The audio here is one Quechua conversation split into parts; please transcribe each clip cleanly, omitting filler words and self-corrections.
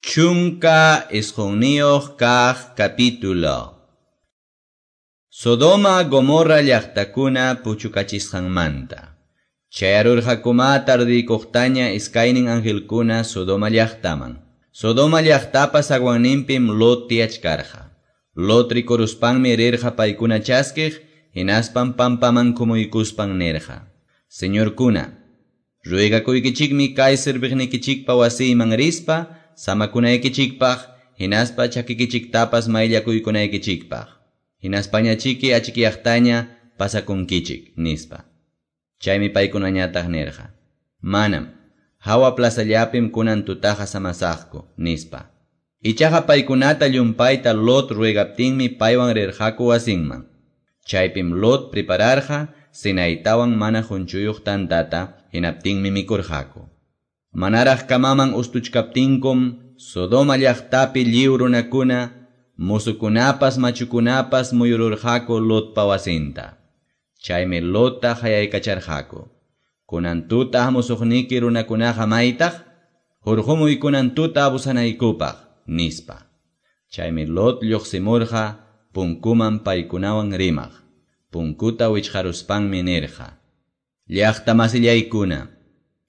19 kaq capítulo. Sodoma Gomorra llaqtakuna puchukachisqanmanta. Chayarurqakuma tardiykuqtaña iskaynin angelkuna Sodoma llaqtaman. Sodoma llaqtapa zaguanninpim Lot tiyachkarqa. Lot rikuruspanmi rirqa paykuna chaskiq, hinaspan pampaman kumuykuspan nirqa: Señorkuna, ruegakuykichikmi kay serviqnikichikpa wasiyman rispa, samakunaykichikpaq, hinaspa chakikichiktapas mayllakuykunaykichikpaq. Hinaspañachiki achikyaqtaña pasakunkichik, nispa. Chaymi paykunañataq nirqa: Manam, hawa plazallapim kunan tutaqa samasaqku, nispa. Ichaqa paykunata llumpayta Lot ruegaptinmi paywan rirqaku wasinman. Chaypim Lot prepararqa cenaytawan mana qunchuyuq tantata, hinaptinmi mikurqaku. Manaraq kamaman ustuchkaptinkum Sodoma llaqtapi lliw runakuna, musukunapas machukunapas muyururqaku Lotpa wasinta. Chaymi Lotta hayaykacharqaku: Kunan tuta hamusuqniki runakunaqa maytaq? Hurqumuy kunan tuta abusanaykupaq, nispa. Chaymi Lot lluqsimurqa punkuman paykunawan rimaq. Punkuta wichqaruspanmi nirqa: Llaqta masillaykuna,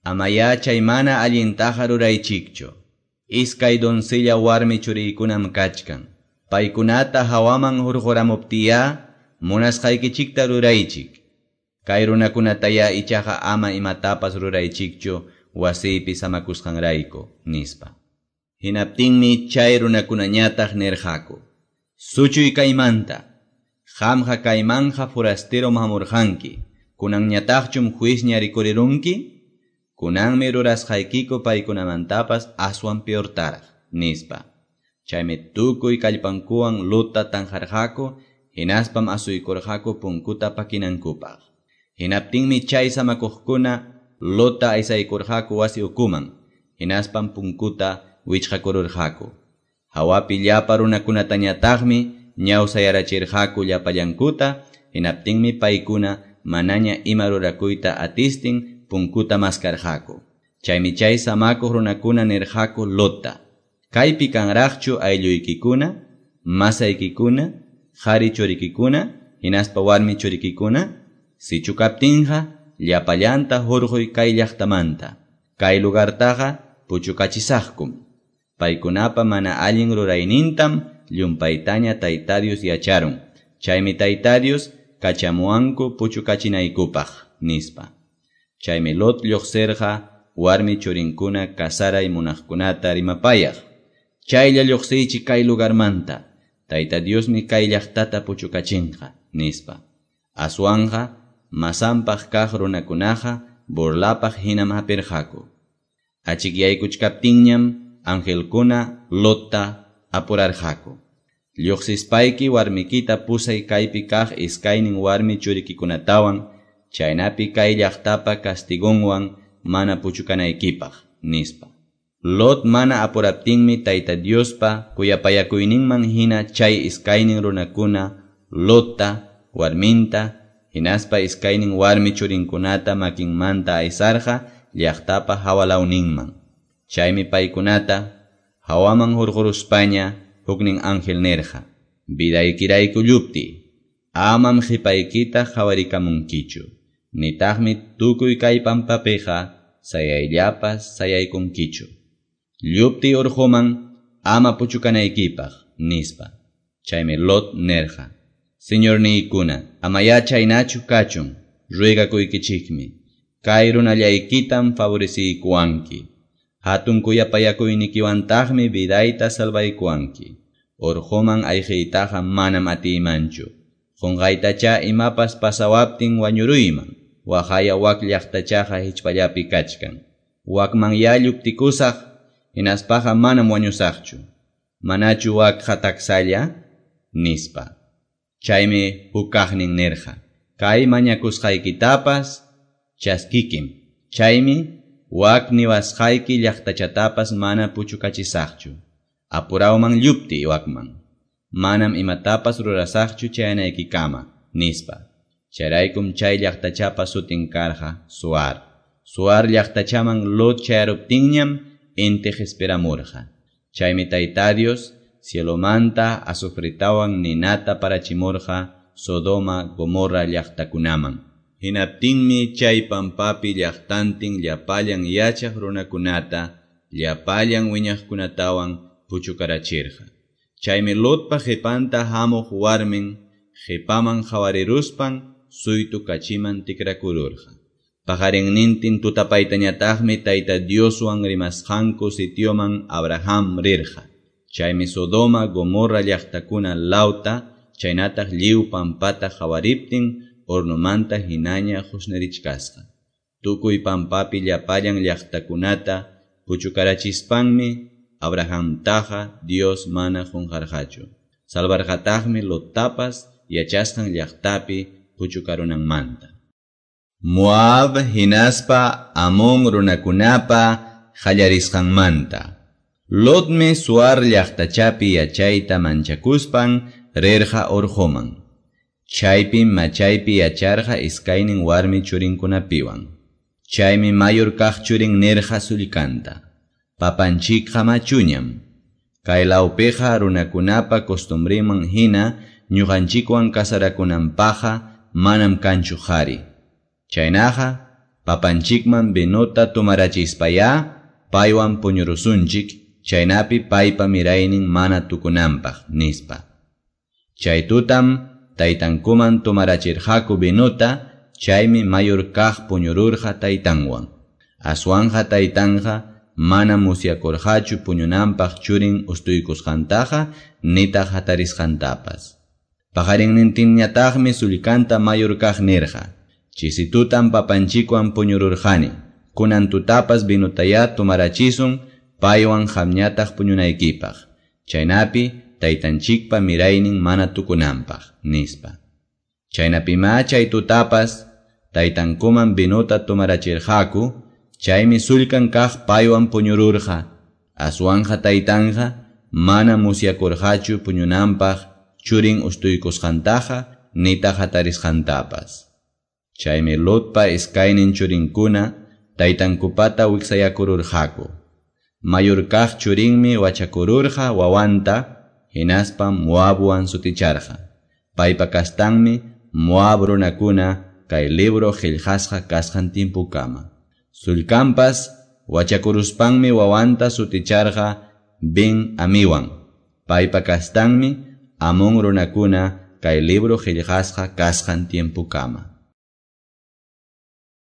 amayá chay mana allintaqa ruraychikchu. Iskay doncella warmi churiykunam kachkan. Paykunata hawaman hurquramuptiyá munasqaykichikta ruraychik. Kay runakunatayá ichaqa ama imatapas ruraychikchu wasiypi samakusqanrayku, nispa. Hinaptinmi chay runakunañataq nirqaku: Suchuy kaymanta, qamqa kaymanja forasterom hamurqanki, kunanñataqchum juizña rikurirunki? Kunanmi rurasqaykiku paykunamantapas aswan peortaraq, nispa. Chaymi tukuy kallpankuwan Lotta tanqarqaku, hinaspam asuykurqaku punkuta pakinankupaq. Hinaptinmi chay samakuqkuna Lotta aysaykurqaku wasi ukuman, hinaspam punkuta wichqakururqaku. Hawapi llapa runakunatañataqmi ñawsayarachirqaku llapallankuta, hinaptinmi paykuna manaña ima rurakuyta atistin punkuta maskarqaku. Chaymi chay samakuq runakuna nirqaku Lotta: Kaypi kanraqchu aylluykikuna, masaykikuna, qhari churikikuna, hinaspa warmi churikikuna? Sichu kaptinqa, llapallanta hurquy kay llaqtamanta. Kay lugartaqa puchukachisaqkum. Paykunapa mana allin ruraynintam llumpaytaña Tayta Dios yacharun. Chaymi Tayta Dios kachamuwanku puchukachinaykupaq, nispa. Chaymi Lot lluqsirqa warmi churinkuna kasaray munaqkunata rimapayaq: Chaylla lluqsiychik kay lugarmanta, Tayta Diosmi kay llaqtata puchukachinqa, nispa. Aswanqa masanpaq kaq runakunaqa burlapaq hinam hapirqaku. Achikyaykuchkaptinñam angelkuna Lotta apurarqaku: Lluqsispayki warmikita pusay kaypi kaq iskaynin warmi churikikunatawan, chaynapi kay llaqtapa castigonwan mana puchukanaykipaq, nispa. Lot mana apuraptinmi Tayta Diospa kuyapayakuyninman hina chay iskaynin runakuna Lotta, warminta, hinaspa iskaynin warmi churinkunata makinmanta aysarqa llaqtapa hawalawninman. Chaymi paykunata hawaman hurquruspaña huknin ángel nirqa: Vidaykirayku llupti, amam qipaykita qawarikamunkichu, nitaqmi tukuy kay pampapiqa sayayllapas sayaykunkichu. Llupti urquman ama puchukanaykipaq, nispa. Chaymi Lot nirqa: Señorniykuna, amayá chaynachu kachun, ruegakuykichikmi. Kay runallaykitam favoreciykuwanki. Hatun kuyapayakuynikiwantaqmi vidayta salvaykuwanki. Urquman ayqiytaqa manam atiymanchu. Qunqaytacha imapas pasawaptin wañuruyman. Waqaya wak llaqtachaqa hichpallapi kachkan. Wakmanyá lluptikusaq, hinaspaqa manam wañusaqchu. Manachu wakqa taksalla? Nispa. Chaymi hukaqnin nirqa: Kay mañakusqaykitapas chaskikim. Chaymi wak niwasqayki llaqtachatapas mana puchukachisaqchu. Apurawman llupti wakman. Manam imatapas rurasaqchu chayanaykikama, nispa. Chayraykum chay llaqtachapa sutin karqa Zoar. Zoar llaqtachaman Lot chayaruptinñam inti qispiramurqa. Chaymi Tayta Dios cielomanta azufretawan ninata parachimurqa Sodoma, Gomorra llaqtakunaman. Hinaptinmi chay pampapi llaqtantin llapallan yachaq runakunata, llapallan wiñaqkunatawan puchukarachirqa. Chaymi Lotpa qipanta hamuq warmin qipaman qawariruspan suytu kachiman tikrakururqa. Paqarinnintin tutapaytañataqmi Tayta Dioswan rimasqanku sitioman Abraham rirqa. Chaymi Sodoma, Gomorra llaqtakuna lawta, chaynataq lliw pampata qawariptin hornomanta hinaña qusnirichkasqa. Tukuy pampapi llapallan llaqtakunata puchukarachispanmi Abrahamtaqa Dios mana qunqarqachu. Salvarqataqmi Lottapas yachasqan llaqtapi puchukarunanmanta. Moab hinaspa Amón runakunapa qallarisqanmanta. Lotmi Zoar llaqtachapi yachayta manchakuspan rirqa urquman. Chaypim machaypi yacharqa iskaynin warmi churinkunapiwan. Chaymi mayor kaq churin nirqa sullkanta: Papanchikqa machuñam. Kay lawpiqa runakunapa costumbreman hina ñuqanchikwan casarakunanpaqqa manam kanchu qhari. Chaynaqa papanchikman vinota tomarachispayá paywan puñurusunchik, chaynapi paypa miraynin mana tukunanpaq, nispa. Chay tutam taytankuman tomarachirqaku vinota, chaymi mayor kaq puñururqa taytanwan. Aswanqa taytanqa mana musyakurqachu puñunanpaq churin ustuykusqantaqa nitaq hatarisqantapas. Paqarinnintinñataqmi sullkanta mayor kaq nirqa: Chisi tutam papanchikwan puñururqani, kunan tutapas vinotayá tomarachisun paywan qamñataq puñunaykipaq, chaynapi taytanchikpa miraynin mana tukunanpaq, nispa. Chaynapimá chay tutapas taytankuman vinota tomarachirqaku, chaymi sullkan kaq paywan puñururqa. Aswanqa taytanqa mana musyakurqachu puñunanpaq churin ustuykusqantaqa nitaq hatarisqantapas. Chaymi Lotpa iskaynin churinkuna taytankupata wiksayakururqaku. Mayor kaq churinmi wachakururqa wawanta, hinaspam Moabwan suticharqa. Paypa kastanmi Moab runakuna kay libro qillqasqa kasqan tiempokama. Sullkanpas wachakuruspanmi wawanta suticharqa Ben Amiwan. Paypa kastanmi Amón runakuna kay libro qillqasqa kasqan tiempokama.